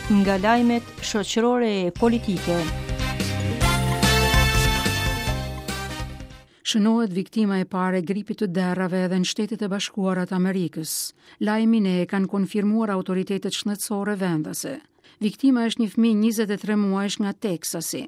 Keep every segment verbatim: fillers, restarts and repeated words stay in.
Nga lajmet shoqërore e politike. Shënohet viktima e parë e gripit të derrave edhe në Shtetet e Bashkuara të Amerikës. Lajmin e kanë konfirmuar autoritetet shëndetësore vendase. Viktima është një fëmijë njëzet e tre muajsh nga Teksasi.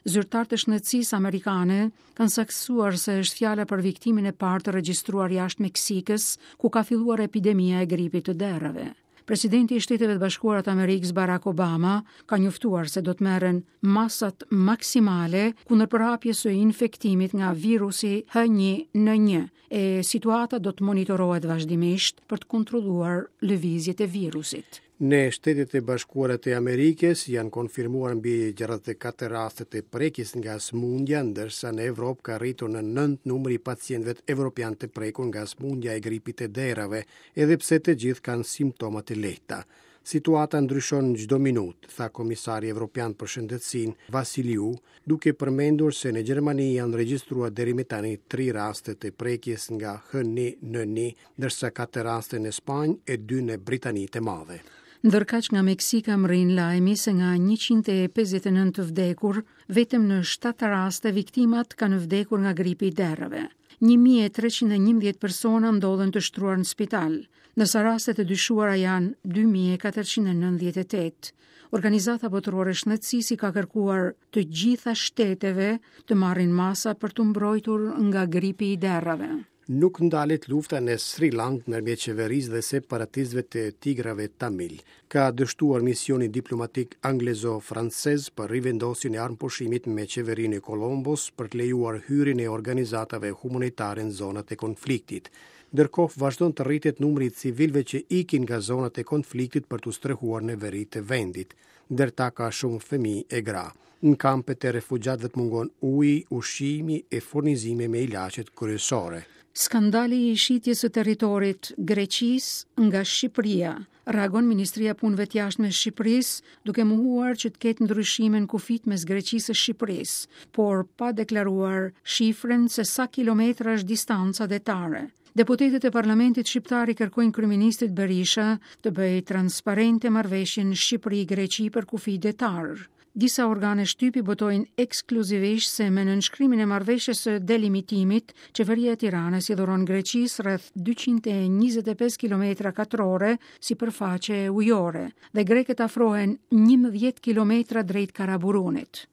Zyrtarët e shëndetësisë amerikane kanë saktësuar se është fjala për viktimën e parë të regjistruar jashtë Meksikës, ku ka filluar epidemia e gripit të derrave. Presidenti i Shteteve të Bashkuara të Amerikës Barack Obama ka njoftuar se do të merren masat maksimale kundër përhapjes së infektimit nga virusi H një N një, e situata do të monitorohet vazhdimisht për të kontrolluar lëvizjet e virusit. Në Shtetet e Bashkuara të Amerikës janë konfirmuar mbi gjashtëdhjetë e katër raste të prekjes nga sëmundja, ndërsa në Evropë ka rritur në nëntë numri i pacientëve evropian të prekur nga sëmundja e gripit të derrave, edhe pse të gjithë kanë simptoma të lehta. Situata ndryshon çdo minutë, tha Komisari Evropian për Shëndetësinë Vasiliu, duke përmendur se në Gjermani janë regjistruar deri më tani tri raste të prekjes nga H një N një, ndërsa katër raste në Spanjë e dy në Britani të Madhe. Ndërkaq nga Meksika mrin lajmi se nga njëqind e pesëdhjetë e nëntë të vdekur, vetëm në shtatë raste viktimat kanë vdekur nga gripi i derrave. një mijë e treqind e njëmbëdhjetë persona ndodhen të shtruar në spital, ndërsa rastet e dyshuara janë dy mijë e katërqind e nëntëdhjetë e tetë. Organizata Botërore e Shëndetësisë i ka kërkuar të gjitha shteteve të marrin masa për t'u mbrojtur nga gripi i derrave. Nuk ndalet lufta në Sri Lanka ndërmjet qeverisë dhe separatistëve të Tigrave Tamil. Ka dështuar misioni diplomatik anglezo-francez për rivendosjen e armëpushimit me qeverinë e Kolombos për të lejuar hyrjen e organizatave humanitare në zonat e konfliktit. Ndërkohë vazhdon të rritet numri i civilëve që ikin nga zonat e konfliktit për t'u strehuar në veri të vendit. Ndër ta ka shumë fëmijë e gra. Në kampet e refugjatëve të mungon uji, ushqimi e furnizime me ilaçet kryesore. Skandali i shitjes së territorit Greqisë nga Shqipëria, reagon Ministria e Punëve të Jashtme e Shqipërisë, duke mohuar që të ketë ndryshime në kufit mes Greqisë e Shqipërisë, por pa deklaruar shifrën se sa kilometra është distanca detare. Deputetët e Parlamentit Shqiptar i kërkojnë kryeministrit Berisha të bëjë transparente marrëveshjen Shqipëri-Greqi për kufi detar. Disa organe shtypi botojnë ekskluzivisht se me nënshkrimin e marrëveshjes së delimitimit, qeveria e Tiranës i dhuron Greqisë rreth dyqind e njëzet e pesë kilometra katrore sipërfaqe ujore dhe grekët afrohen njëmbëdhjetë kilometra drejt Karaburunit.